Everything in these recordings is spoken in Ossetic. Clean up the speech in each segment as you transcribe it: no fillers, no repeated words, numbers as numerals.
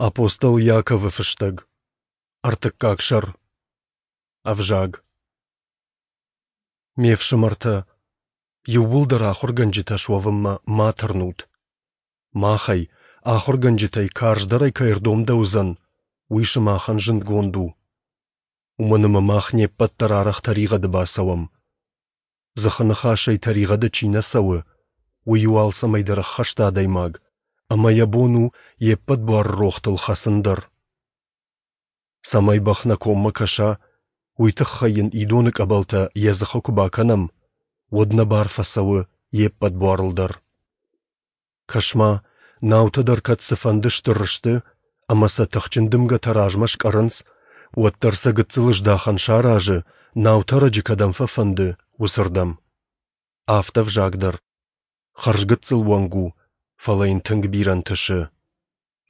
Апостол Иаковы фыстӕг. Ӕртыккаг сӕр. Ӕвзаг. Ме фсымӕртӕ, иууылдӕр ахуыргӕнджытӕ суӕвынмӕ ма тырнут. Махӕй, ахуыргӕнджытӕй карздӕрӕй кӕй ӕрдомдӕуыдзӕн, уый сымахӕн зындгонд у. Уымӕн ӕмӕ мах не ппӕт дӕр арӕх тӕригъӕды бацӕуӕм. Дзыхы ныхасӕй тӕригъӕды чи нӕ цӕуы, уый у алцӕмӕй дӕр ӕххӕст адӕймаг, ӕмӕ йӕ бон у йе ппӕт буары рохтыл хӕцын дӕр. Цӕмӕй бӕх нӕ коммӕ кӕса, уый тыххӕй йын идоны къӕбӕлтӕ йӕ дзыхы куы бакӕнӕм, уӕд нӕ бар фӕцӕуы йе ппӕт буарыл дӕр. Кӕс-ма, наутӕ дӕр кӕд цыфӕнды стыр сты ӕмӕ сӕ тыхджын дымгӕтӕ размӕ скъӕрынц, уӕддӕр сӕ гыццыл здахӕн саразы, наутӕрӕджы кӕдӕм фӕфӕнды, уыцырдӕм. Афтӕ ӕвзаг дӕр. Хӕрзгыццыл уӕнг у, фӕлӕ йын тынг бирӕ нтысы.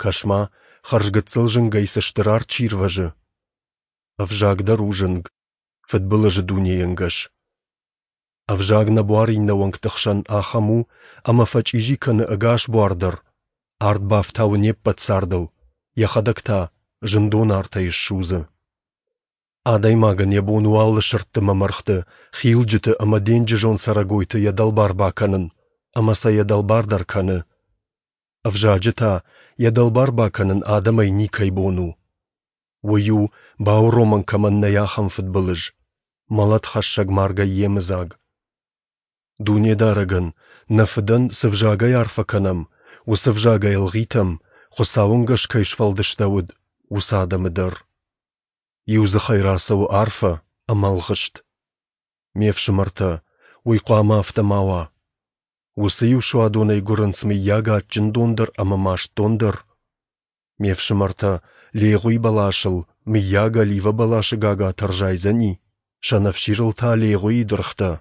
Кӕс-ма, хӕрзгыццыл зынгӕй цы стыр арт сирвӕзы. Ӕвзаг дӕр у зынг, фыдбылызы дунейы ӕнгӕс. Ӕвзаг нӕ буар иннӕ уӕнгты хсӕн ахӕм у, ӕмӕ фӕчъизи кӕны ӕгас буар дӕр, арт бафтауы не ппӕт цардыл, йӕхӕдӕг та зындон артӕй ссудзы. Адӕймагӕн йӕ бон у алы сырдты мӕ мӕргъты, хилджыты ӕмӕ денджызон цӕрӕгойты йӕ дӕлбар бакӕнын, ӕмӕ сӕ йӕ дӕлбар дӕр кӕны. Ӕвзаджы та йӕ дӕлбар бакӕнын адӕмӕй никӕй бон у. Уый у, бауромӕн кӕмӕн нӕй, ахӕм фыдбылыз, мӕлӕтхӕссӕг маргӕй йемыдзаг. Дунедарӕгӕн, нӕ Фыдӕн, цы взагӕй арфӕ кӕнӕм, уыцы взагӕй ӕлгъитӕм, Хуыцауы ӕнгӕс кӕй сфӕлдыстӕуыд, уыцы адӕмы дӕр. Иу дзыхӕй рацӕуы арфӕ ӕмӕ ӕлгъыст. Ме фсымӕртӕ, уый хъуамӕ афтӕ ма уа. Уыцы иу суадонӕй гуырынц мыййаг адджын дон дӕр ӕмӕ маст дон дӕр? Ме фсымӕртӕ, легъуи бӕласыл, мыййаг, оливӕ бӕласы гагатӕ ӕрзайдзӕни, сӕнӕфсирыл та легъуийы дыргътӕ?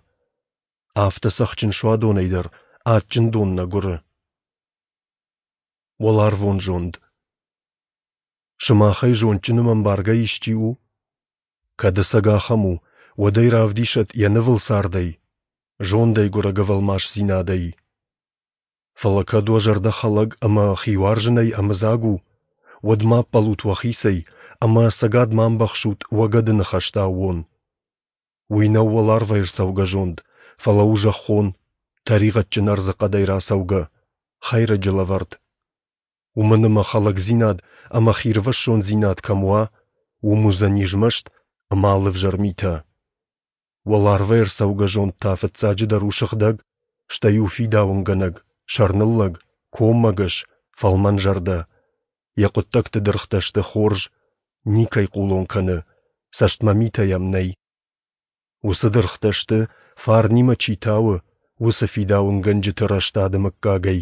Афтӕ цӕхджын суадонӕй дӕр адджын дон нӕ гуыры. Уӕларвон зонд. Сымахӕй зондджын ӕмӕ ӕмбаргӕ исчи у? Кӕд ӕцӕг ахӕм у, уӕд ӕй равдисӕд йӕ нывыл цардӕй, зондӕй гуырӕг ӕвӕлмасдзинадӕй. Фӕлӕ кӕд уӕ зӕрдӕ хӕлӕг ӕмӕ хиуарзынӕй ӕмыдзаг у, уӕд ма ӕппӕлут уӕхицӕй ӕмӕ ӕцӕгад ма ӕмбӕхсут уӕ гӕды ныхӕсты аууон. Уый нӕу уӕларвӕй ӕрцӕугӕ зонд, фӕлӕ у зӕххон, тӕригъӕдджын ӕрдзыхъӕдӕй рацӕугӕ, хӕйрӕджы лӕвӕрд. Уымӕн ӕмӕ хӕлӕгдзинад ӕмӕ хирвӕссондзинад кӕм уа, уым уыдзӕни змӕст ӕмӕ алы ӕвзӕр митӕ. Уӕларвӕй ӕрцӕугӕ зонд та фыццаджыдӕр у сыгъдӕг, стӕй у фидауынгӕнӕг, сӕрныллӕг, коммӕгӕс, фӕлмӕнзӕрдӕ. Йӕ хъуыддӕгты дыргътӕ сты хорз, никӕй хъулон кӕны, цӕстмӕ митӕ йӕм нӕй. Уыцы дыргътӕ сты, фарнимӕ чи тауы, уыцы фидауынгӕнджыты рӕстады мыггагӕй.